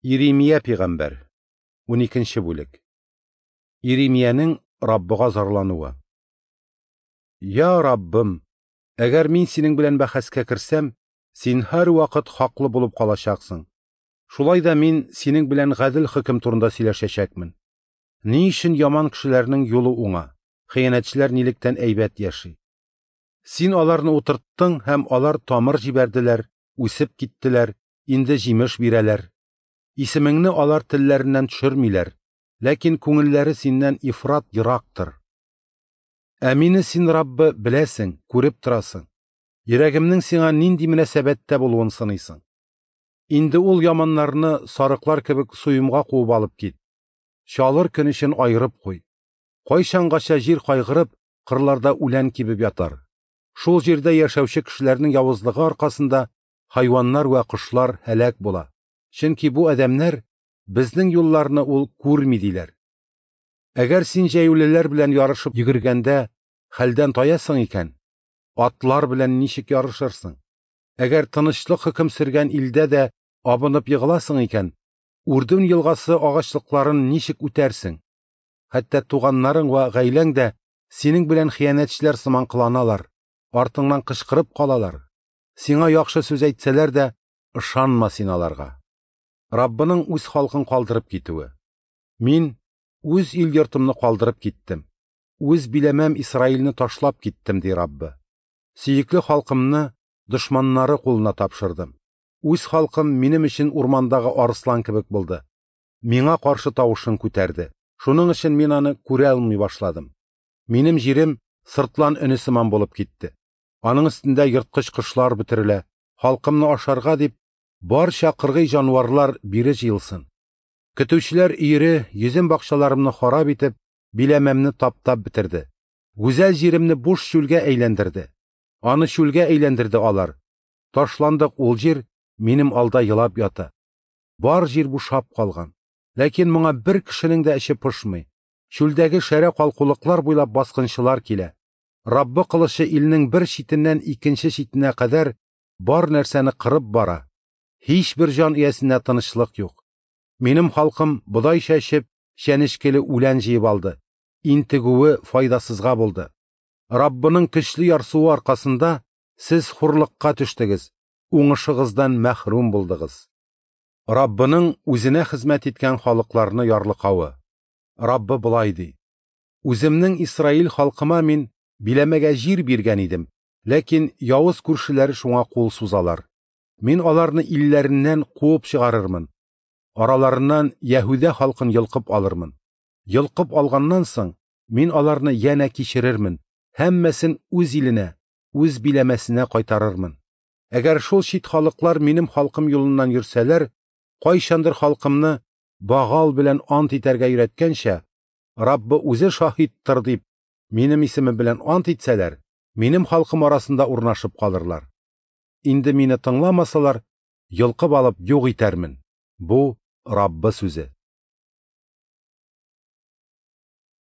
Иремия пәйгамбәр, 12 бүлек. Иремиянең Раббыга зарлануы. Я Раббым, әгәр мин синең белән бәхәскә керсәм, син һәрвакыт хаклы булып калачаксың. Шулай да мин синең белән гадел хөкем турында сөйләшәчәкмен. Ни өчен яман кешеләрнең юлы уңа, хыянәтчеләр нилектән әйбәт яши? Син аларны утырттың һәм алар тамыр җибәрделәр, үсеп киттеләр, инде җимеш бирәләр. Исемеңне алар телләреннән төшермиләр, ләкин күңелләре синнән ифрат ерактыр. Ә мине син, Раббы, беләсең, күреп торасың. Йөрәгемнең сиңа нинди мөнәсәбәттә булуын сыныйсың. Инде ул яманнарны сарыклар кебек суемга куып алып кит. Чалыр көн өчен аерып куй. Кайчангача җир кайгырып, кырларда үлән кибеп ятар. Шул җирдә яшәүче кешеләрнең явызлыгы аркасында хайваннар вә кошлар һәлак була. Чөнки бу адәмнәр безнең юлларны ул күрми диләр. Әгәр син җәяүлеләр белән ярышып йөгергәндә хәлдән таясың икән, атлар белән ничек ярышырсың? Әгәр тынычлык хөкем сөргән илдә дә абынып егыласың икән, Үрдүн елгасы агачлыкларын ничек үтәрсең? Хәтта туганнарың вә гаиләң дә синең белән хыянәтчеләр сыман кыланалар, артыңнан кычкырып калалар. Сиңа яхшы сүз әйтсәләр дә, ышанма син аларга. Раббының үз халкын калдырып китүе. Мин үз ил йортымны калдырып киттем. Үз биләмәм Исраилне ташлап киттем, ди Раббы. Сөекле халкымны дошманнары кулына тапшырдым. Үз халкым минем өчен урмандагы арыслан кебек булды. Миңа каршы тавышын күтәрде. Шуның өчен мин аны күрә алмый башладым. Минем җирем сыртлан өне сыман булып китте. Аның өстендә ерткыч кошлар бөтерелә. Халкымны ашарга дип барча кыргый җанварлар бире җыелсын. Көтүчеләр өере йөзем бакчаларымны харап итеп, биләмәмне таптап бетерде. Гүзәл җиремне буш чүлгә әйләндерде. Аны чүлгә әйләндерде алар. Ташландык ул җир минем алда елап ята. Бар җир бушап калган. Ләкин моңа бер кешенең дә эче пошмый. Чүлдәге шәрә калкулыклар буйлап баскынчылар килә. Раббы кылычы илнең бер читеннән икенче читенә кадәр бар нәрсәне кырып бара. Һич бер җан иясенә тынычлык юк. Минем халкым бодай чәчеп, чәнечкеле үлән җыеп алды. Интегүе файдасызга булды. Раббының көчле ярсуы аркасында сез хурлыкка төштегез, уңышыгыздан мәхрүм булдыгыз. Раббының үзенә хезмәт иткән халыкларны ярлыкавы. Раббы болай ди: Үземнең Исраил халкыма мин биләмәгә җир биргән идем, ләкин явыз күршеләре шуңа кул сузалар. Мин аларны илләреннән куып чыгарырмын. Араларыннан Яһүдә халкын йолкып алырмын. Йолкып алганнан соң мин аларны янә кичерермен, һәммәсен үз иленә, үз биләмәсенә кайтарырмын. Әгәр шул чит халыклар минем халкым юлыннан йөрсәләр, кайчандыр халкымны Багал белән ант итәргә өйрәткәнчә, Раббы үзе шаһиттыр дип, минем исемем белән ант итсәләр, минем халкым арасында урнашып калырлар. Инде мине тыңламасалар, йолкып алып юк итәрмен. Бу Раббы сүзе.